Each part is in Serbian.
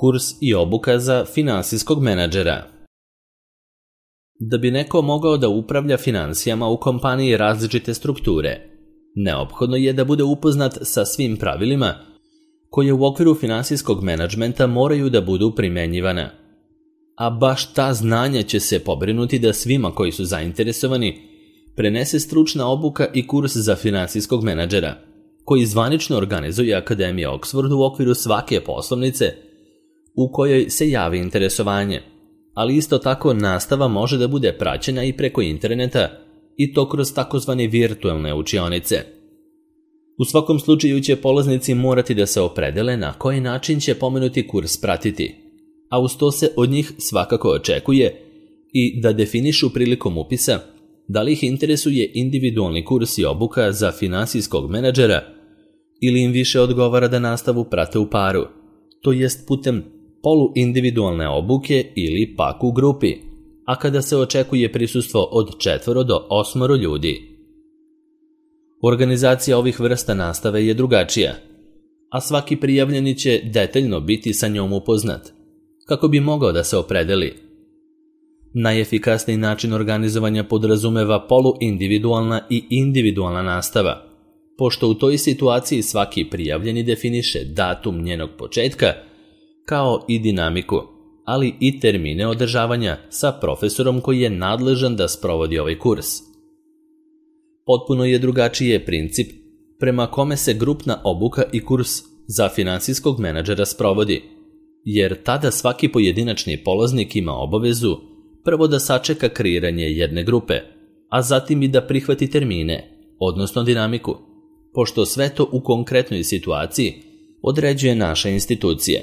Kurs i obuka za finansijskog menadžera. Da bi neko mogao da upravlja finansijama u kompaniji različite strukture, neophodno je da bude upoznat sa svim pravilima koje u okviru finansijskog menadžmenta moraju da budu primenjivana. A baš ta znanja će se pobrinuti da svima koji su zainteresovani prenese stručna obuka i kurs za finansijskog menadžera, koji zvanično organizuje Akademija Oxford u okviru svake poslovnice u kojoj se javi interesovanje, ali isto tako nastava može da bude praćena i preko interneta i to kroz takozvane virtualne učionice. U svakom slučaju će polaznici morati da se opredele na koji način će pomenuti kurs pratiti, a uz to se od njih svakako očekuje i da definišu prilikom upisa da li ih interesuje individualni kurs i obuka za finansijskog menadžera ili im više odgovara da nastavu prate u paru, to jest putem poluindividualne obuke ili pak u grupi, a kada se očekuje prisustvo od 4 do 8 ljudi. Organizacija ovih vrsta nastave je drugačija, a svaki prijavljeni će detaljno biti sa njom upoznat, kako bi mogao da se opredeli. Najefikasniji način organizovanja podrazumeva poluindividualna i individualna nastava, pošto u toj situaciji svaki prijavljeni definiše datum njenog početka, kao i dinamiku, ali i termine održavanja sa profesorom koji je nadležan da sprovodi ovaj kurs. Potpuno je drugačiji princip prema kome se grupna obuka i kurs za finansijskog menadžera sprovodi, jer tada svaki pojedinačni polaznik ima obavezu prvo da sačeka kreiranje jedne grupe, a zatim i da prihvati termine, odnosno dinamiku, pošto sve to u konkretnoj situaciji određuje naša institucija.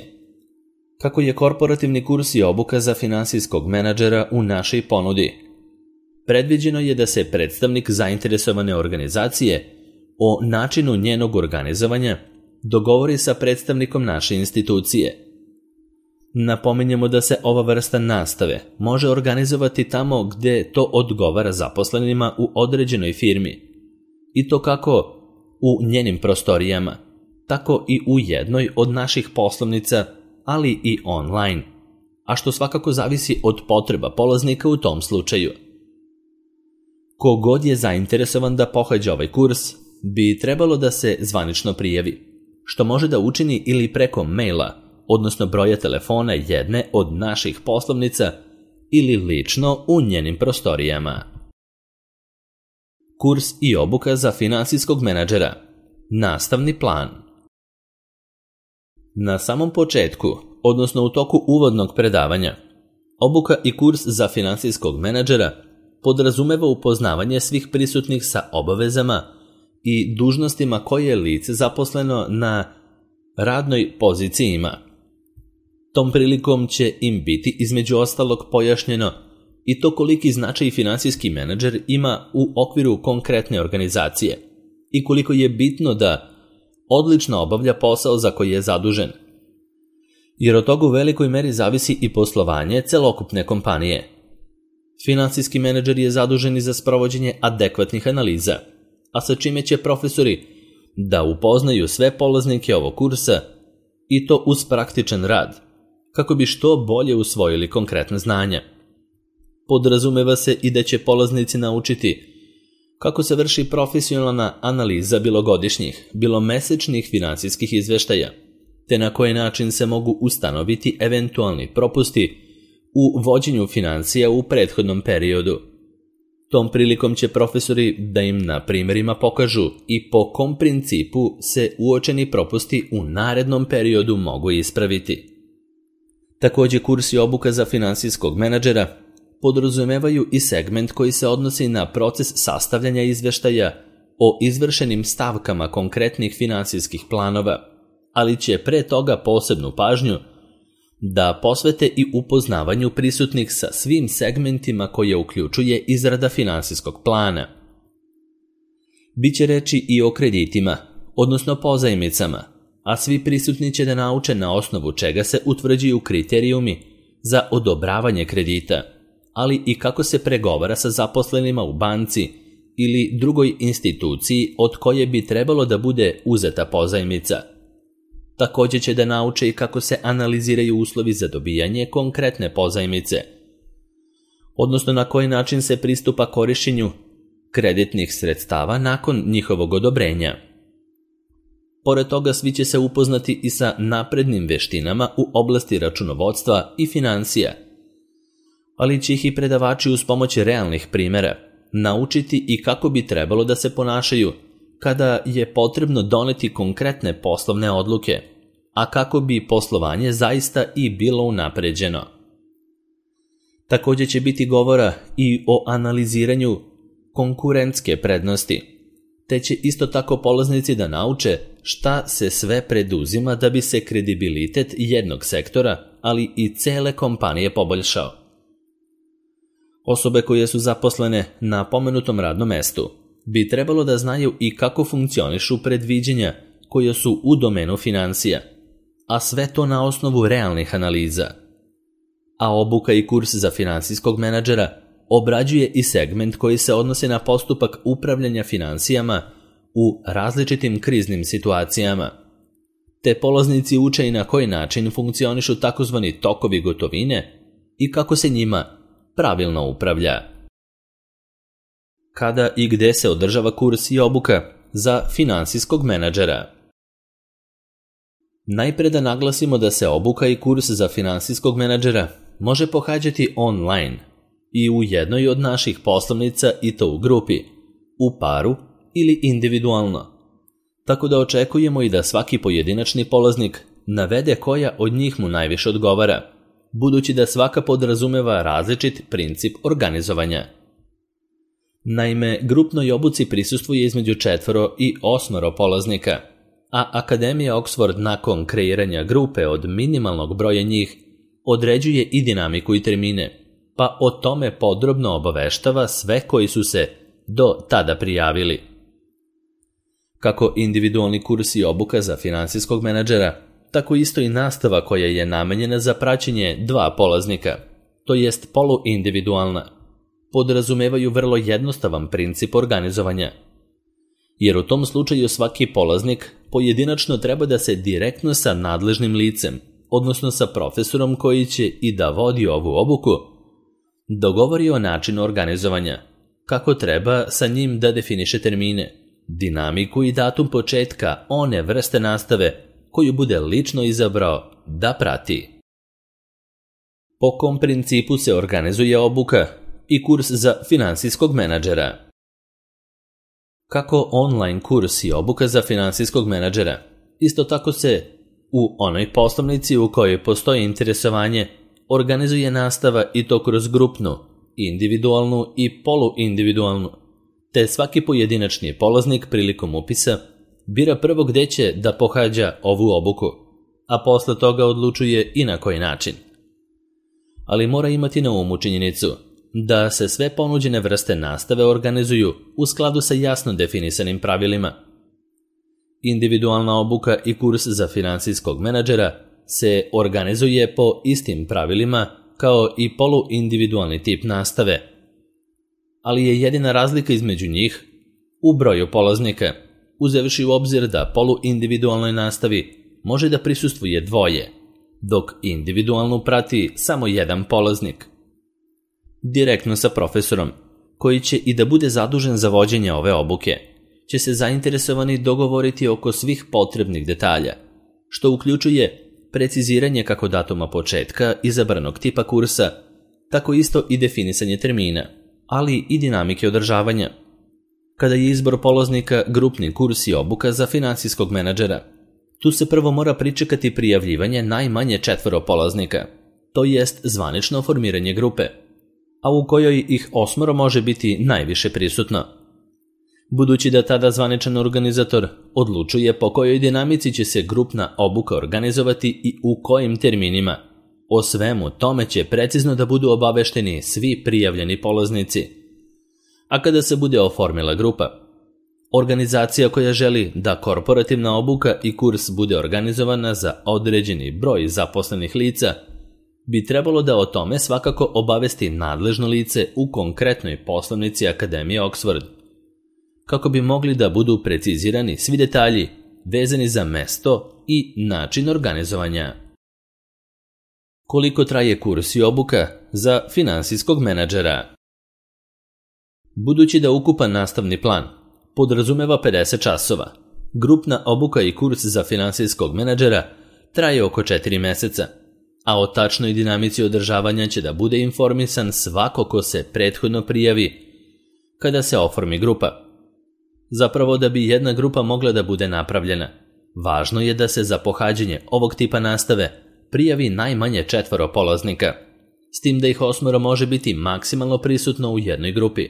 Kako je korporativni kurs i obuka za finansijskog menadžera u našoj ponudi? Predviđeno je da se predstavnik zainteresovane organizacije o načinu njenog organizovanja dogovori sa predstavnikom naše institucije. Napominjemo da se ova vrsta nastave može organizovati tamo gde to odgovara zaposlenima u određenoj firmi, i to kako u njenim prostorijama, tako i u jednoj od naših poslovnica, ali i online, a što svakako zavisi od potreba polaznika u tom slučaju. Kogod je zainteresovan da pohađa ovaj kurs, bi trebalo da se zvanično prijavi, što može da učini ili preko maila, odnosno broja telefona jedne od naših poslovnica ili lično u njenim prostorijama. Kurs i obuka za finansijskog menadžera. Nastavni plan. Na samom početku, odnosno u toku uvodnog predavanja, obuka i kurs za finansijskog menadžera podrazumeva upoznavanje svih prisutnih sa obavezama i dužnostima koje je lice zaposleno na radnoj poziciji ima. Tom prilikom će im biti između ostalog pojašnjeno i to koliki značaj finansijski menadžer ima u okviru konkretne organizacije i koliko je bitno da odlično obavlja posao za koji je zadužen. Jer od toga u velikoj meri zavisi i poslovanje celokupne kompanije. Finansijski menadžer je zadužen i za sprovođenje adekvatnih analiza, a sa čime će profesori da upoznaju sve polaznike ovog kursa i to uz praktičan rad, kako bi što bolje usvojili konkretna znanja. Podrazumeva se i da će polaznici naučiti kako se vrši profesionalna analiza bilo godišnjih, bilo mesečnih finansijskih izveštaja, te na koji način se mogu ustanoviti eventualni propusti u vođenju financija u prethodnom periodu. Tom prilikom će profesori da im na primjerima pokažu i po kom principu se uočeni propusti u narednom periodu mogu ispraviti. Također kurs i obuka za finansijskog menadžera podrazumevaju i segment koji se odnosi na proces sastavljanja izveštaja o izvršenim stavkama konkretnih finansijskih planova, ali će pre toga posebnu pažnju da posvete i upoznavanju prisutnih sa svim segmentima koje uključuje izrada finansijskog plana. Biće reči i o kreditima, odnosno pozajmicama, a svi prisutni će da nauče na osnovu čega se utvrđuju kriterijumi za odobravanje kredita, ali i kako se pregovara sa zaposlenima u banci ili drugoj instituciji od koje bi trebalo da bude uzeta pozajmica. Također će da nauče i kako se analiziraju uslovi za dobijanje konkretne pozajmice, odnosno na koji način se pristupa korištenju kreditnih sredstava nakon njihovog odobrenja. Pored toga svi će se upoznati i sa naprednim veštinama u oblasti računovodstva i financija, ali će ih i predavači uz pomoć realnih primjera naučiti i kako bi trebalo da se ponašaju kada je potrebno doneti konkretne poslovne odluke, a kako bi poslovanje zaista i bilo unapređeno. Također će biti govora i o analiziranju konkurentske prednosti, te će isto tako polaznici da nauče šta se sve preduzima da bi se kredibilitet jednog sektora, ali i cele kompanije poboljšao. Osobe koje su zaposlene na pomenutom radnom mestu bi trebalo da znaju i kako funkcionišu predviđanja koje su u domenu financija, a sve to na osnovu realnih analiza. A obuka i kurs za finansijskog menadžera obrađuje i segment koji se odnosi na postupak upravljanja financijama u različitim kriznim situacijama. Te polaznici uče i na koji način funkcionišu takozvani tokovi gotovine i kako se njima pravilno upravlja. Kada i gde se održava kurs i obuka za finansijskog menadžera? Najpre da naglasimo da se obuka i kurs za finansijskog menadžera može pohađati online i u jednoj od naših poslovnica i to u grupi, u paru ili individualno. Tako da očekujemo i da svaki pojedinačni polaznik navede koja od njih mu najviše odgovara, budući da svaka podrazumeva različit princip organizovanja. Naime, grupnoj obuci prisustvuje između 4 i 8 polaznika, a Akademija Oxford nakon kreiranja grupe od minimalnog broja njih određuje i dinamiku i termine, pa o tome podrobno obaveštava sve koji su se do tada prijavili. Kako individualni kurs i obuka za finansijskog menadžera, tako isto i nastava koja je namenjena za praćenje 2 polaznika, to jest poluindividualna, podrazumevaju vrlo jednostavan princip organizovanja. Jer u tom slučaju svaki polaznik pojedinačno treba da se direktno sa nadležnim licem, odnosno sa profesorom koji će i da vodi ovu obuku, dogovori o načinu organizovanja, kako treba sa njim da definiše termine, dinamiku i datum početka one vrste nastave koju bude lično izabrao da prati. Po kom principu se organizuje obuka i kurs za finansijskog menadžera? Kako online kurs i obuka za finansijskog menadžera, isto tako se u onoj poslovnici u kojoj postoji interesovanje organizuje nastava i to kroz grupnu, individualnu i poluindividualnu, te svaki pojedinačni polaznik prilikom upisa bira prvo gde će da pohađa ovu obuku, a posle toga odlučuje i na koji način. Ali mora imati na umu činjenicu da se sve ponuđene vrste nastave organizuju u skladu sa jasno definisanim pravilima. Individualna obuka i kurs za finansijskog menadžera se organizuje po istim pravilima kao i poluindividualni tip nastave, ali je jedina razlika između njih u broju polaznika, uzevši u obzir da poluindividualnoj nastavi može da prisustvuje 2, dok individualnu prati samo 1 polaznik. Direktno sa profesorom, koji će i da bude zadužen za vođenje ove obuke, će se zainteresovani dogovoriti oko svih potrebnih detalja, što uključuje preciziranje kako datuma početka izabranog tipa kursa, tako isto i definisanje termina, ali i dinamike održavanja. Kada je izbor polaznika grupni kurs i obuka za finansijskog menadžera, tu se prvo mora pričekati prijavljivanje najmanje 4 polaznika, to jest zvanično formiranje grupe, a u kojoj ih 8 može biti najviše prisutno. Budući da tada zvaničan organizator odlučuje po kojoj dinamici će se grupna obuka organizovati i u kojim terminima, o svemu tome će precizno da budu obavešteni svi prijavljeni polaznici. A kada se bude oformila grupa, organizacija koja želi da korporativna obuka i kurs bude organizovana za određeni broj zaposlenih lica, bi trebalo da o tome svakako obavesti nadležno lice u konkretnoj poslovnici Akademije Oxford, kako bi mogli da budu precizirani svi detalji vezani za mesto i način organizovanja. Koliko traje kurs i obuka za finansijskog menadžera? Budući da ukupan nastavni plan podrazumeva 50 časova, grupna obuka i kurs za finansijskog menadžera traje oko 4 meseca, a o tačnoj dinamici održavanja će da bude informisan svako ko se prethodno prijavi kada se oformi grupa. Zapravo, da bi jedna grupa mogla da bude napravljena, važno je da se za pohađanje ovog tipa nastave prijavi najmanje 4 polaznika, s tim da ih 8 može biti maksimalno prisutno u jednoj grupi.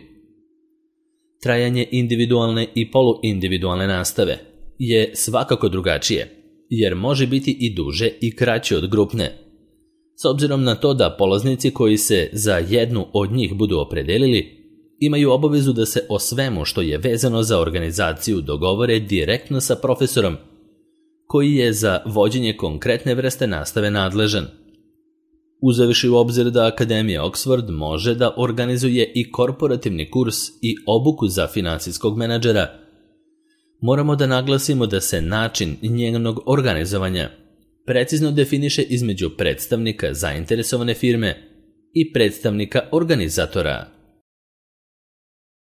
Trajanje individualne i poluindividualne nastave je svakako drugačije, jer može biti i duže i kraće od grupne. S obzirom na to da polaznici koji se za jednu od njih budu opredelili, imaju obavezu da se o svemu što je vezano za organizaciju dogovore direktno sa profesorom, koji je za vođenje konkretne vrste nastave nadležan. Uzevši u obzir da Akademija Oxford može da organizuje i korporativni kurs i obuku za finansijskog menadžera, moramo da naglasimo da se način njenog organizovanja precizno definiše između predstavnika zainteresovane firme i predstavnika organizatora.